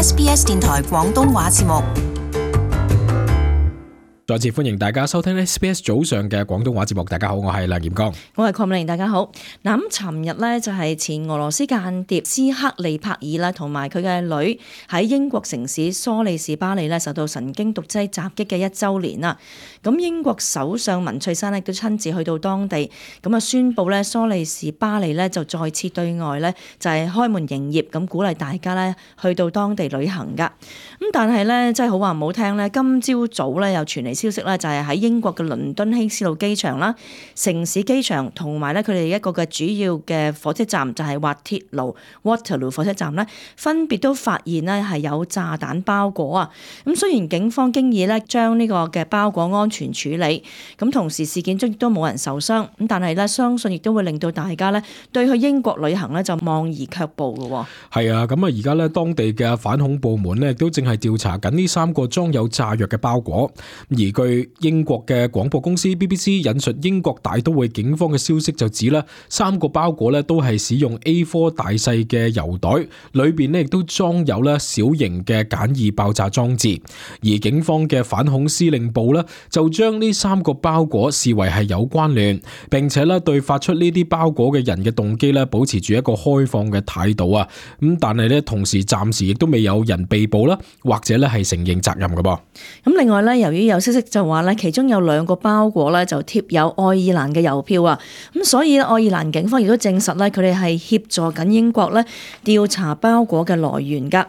SBS 電台廣東話節目。再次歡迎大家收聽 SBS 早上嘅廣東話節目。大家好，我係梁炎剛，我係鄺美玲。大家好。嗱，咁尋日呢，就係前俄羅斯間諜斯克利帕爾啦，同埋佢嘅女喺英國城市蘇利士巴利呢受到神經毒劑襲擊嘅1週年啦。咁英國首相文翠珊呢都親自去到當地，咁啊宣布呢蘇利士巴利呢就再次對外呢就係開門營業，咁鼓勵大家呢去到當地旅行噶。咁但係呢，真係好話唔好聽呢，今朝早呢又傳嚟消息咧，就係喺英國嘅倫敦希斯路機場啦、城市機場同埋咧佢哋一個嘅主要嘅火車站，就係滑鐵盧 Waterloo 火車站咧，分別都發現咧係有炸彈包裹啊。咁雖然警方經已咧將呢個嘅包裹安全處理，咁同時事件中亦都冇人受傷，咁但係咧相信亦都會令到大家咧對去英國旅行咧就望而卻步嘅。係啊，咁啊而家咧當地嘅反恐部門咧亦都正係調查緊呢3個裝有炸藥嘅包裹，而據英國嘅廣播公司 BBC 引述英國大都會警方嘅消息就指咧，3個包裹咧都係使用 A4 大細嘅郵袋，裏邊咧亦都裝有咧小型嘅簡易爆炸裝置。而警方嘅反恐司令部咧就將呢3個包裹視為係有關聯，並且咧對發出呢啲包裹嘅人嘅動機咧保持住一個開放嘅態度啊。咁但係咧同時暫時亦都未有人被捕啦，或者咧係承認責任嘅噃。咁另外咧，由於有消息就話咧，其中有2個包裹咧就貼有愛爾蘭嘅郵票啊，咁所以愛爾蘭警方亦都證實咧，佢哋係協助緊英國咧調查包裹嘅來源噶。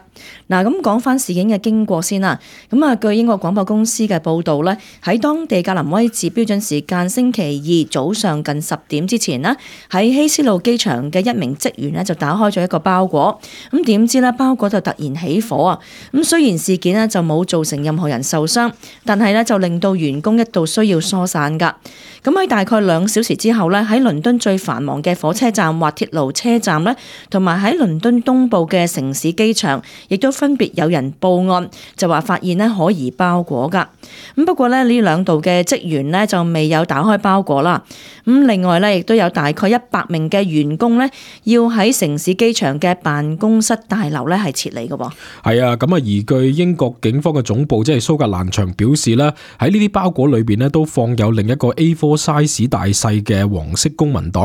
嗱，咁講翻事件嘅經過先啦。咁啊，據英國廣播公司嘅報道咧，喺當地格林威治標準時間星期2早上近10點之前呢，喺希斯路機場嘅一名職員咧就打開咗一個包裹，咁點知咧包裹就突然起火啊！咁雖然事件咧就冇造成任何人受傷，但係咧就令到員工一度需要疏散噶。咁喺大概2小時之後咧，喺倫敦最繁忙嘅火車站滑鐵盧車站咧，同埋喺倫敦東部嘅城市機場，亦都分別有人報案，就話發現咧可疑包裹噶。咁不過咧呢2度嘅職員咧就未有打開包裹啦。咁另外咧亦都有大概100名嘅員工咧要喺城市機場嘅辦公室大樓咧係撤離嘅噃。係啊，咁啊而據英國警方嘅總部即係蘇格蘭場表示咧，喺呢啲包裹裏邊咧都放有另一個 A4 size 大細嘅黃色公文袋，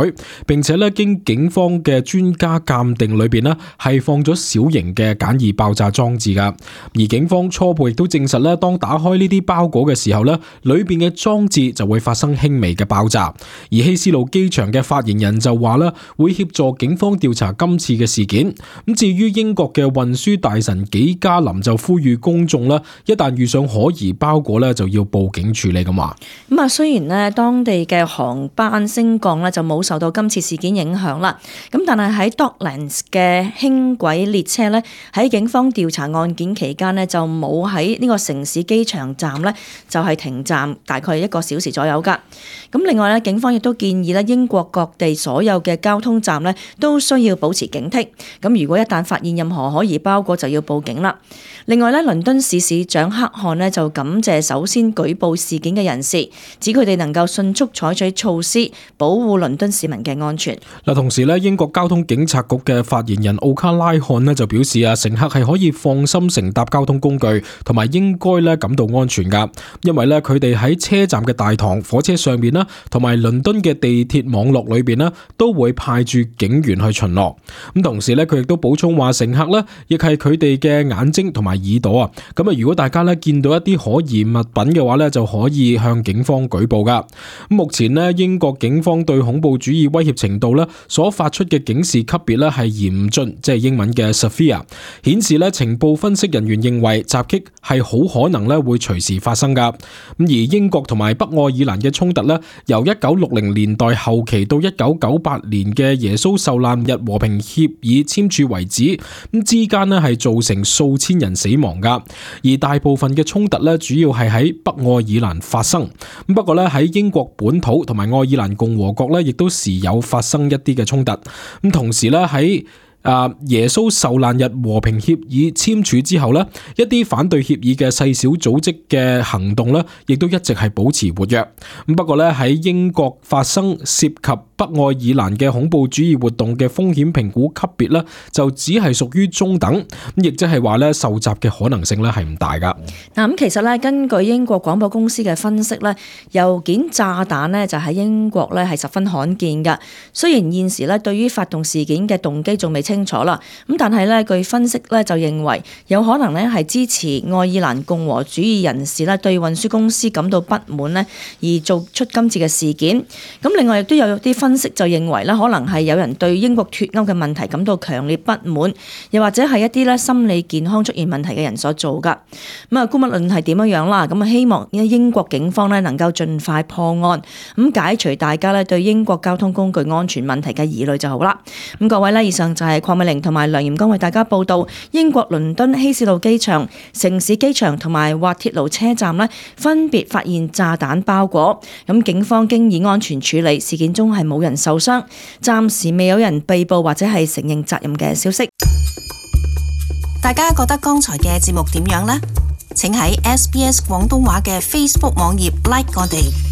並且咧經警方嘅專家鑑定裏邊咧係放咗小型嘅簡易爆炸裝置噶。而警方初步亦都證實咧，當打開呢啲包裹嘅時候咧，裏邊嘅裝置就會發生輕微嘅爆炸。而希斯路機場嘅發言人就話咧，會協助警方調查今次嘅事件。咁至於英國嘅運輸大臣紀嘉林就呼籲公眾咧，一旦遇上可疑包裹咧，就要報警處理咁話。咁啊，雖然咧當地嘅航班升降咧就冇受到今次事件影響啦，咁但係喺 Docklands 嘅輕軌列車咧喺警方調查案件期間咧就冇喺呢個城市機場站咧就係停站大概1個小時左右噶。咁另外咧，警方亦都建議咧英國各地所有嘅交通站咧都需要保持警惕。咁如果一旦發現任何可疑包裹，就要報警啦。另外咧，倫敦市市長克漢咧就感謝首先舉報事件嘅人士，指佢哋能夠迅速採取措施保護倫敦市民嘅安全。嗱，同時咧，英國交通警察局嘅發言人奧卡拉漢咧就表示啊，乘客係可以放心乘搭交通工具，同埋應該咧感到安全噶，因為咧佢哋喺車站嘅大堂、火車上面啦，同埋倫敦嘅地鐵網絡裏邊咧都會派駐警員去巡邏。咁同時咧，佢亦都補充話，乘客咧亦係佢哋嘅眼睛同埋耳朵啊。咁啊，如果大家咧見到一啲可疑物品嘅話咧，就可以向警方舉報噶。目前咧，英國警方對恐怖主義威脅程度咧所發出嘅警示級別咧係嚴峻，即係英文嘅 severe， 顯示咧情報分析人員認為襲擊係好可能咧會隨時發生噶。咁而英國同埋北愛爾蘭嘅衝突咧，由1960年代後期到1998年嘅耶穌受難日和平協議簽署為止，咁之間咧係造成數千人死亡噶。而大部分嘅衝突咧主要係喺北愛爾蘭發生。不過咧喺英國本土同埋愛爾蘭共和國咧，亦都時有發生一啲嘅衝突。咁同時咧喺耶穌受難日和平協議簽署之後呢，一啲反對協議嘅細小組織嘅行動呢，亦都一直係保持活躍。咁不過呢，喺英國發生涉及北愛爾蘭嘅恐怖主義活動嘅風險評估級別呢，就只係屬於中等，咁亦即係話呢，受襲嘅可能性呢係唔大噶。嗱，咁其實呢，根據英國廣播公司嘅分析呢，郵件炸彈呢就喺英國呢係十分罕見噶。雖然現時呢對於發動事件嘅動機仲未清楚啦，咁但係呢據分析呢就認為有可能呢係支持愛爾蘭共和主義人士呢對運輸公司感到不滿呢而做出今次嘅事件。咁另外亦都有啲分析就認為呢可能係有人對英國脫歐嘅問題感到強烈不滿，又或者係一啲呢心理健康出現問題嘅人所做噶。咁啊，姑勿論係點樣啦，咁啊希望英國警方呢能夠盡快破案，咁解除大家呢對英國交通工具安全問題嘅疑慮就好啦。咁各位呢，以上就係鄺美玲同埋梁炎光為大家報道英國倫敦希斯路機場、城市機場同埋滑鐵盧車站呢分別發現炸彈包裹，咁警方經已安全處理，事件中係冇人受傷，暫時未有人被捕或者係承認責任嘅消息。大家覺得剛才嘅節目點樣呢？請喺SBS 廣東話嘅 Facebook 網頁 like 我哋。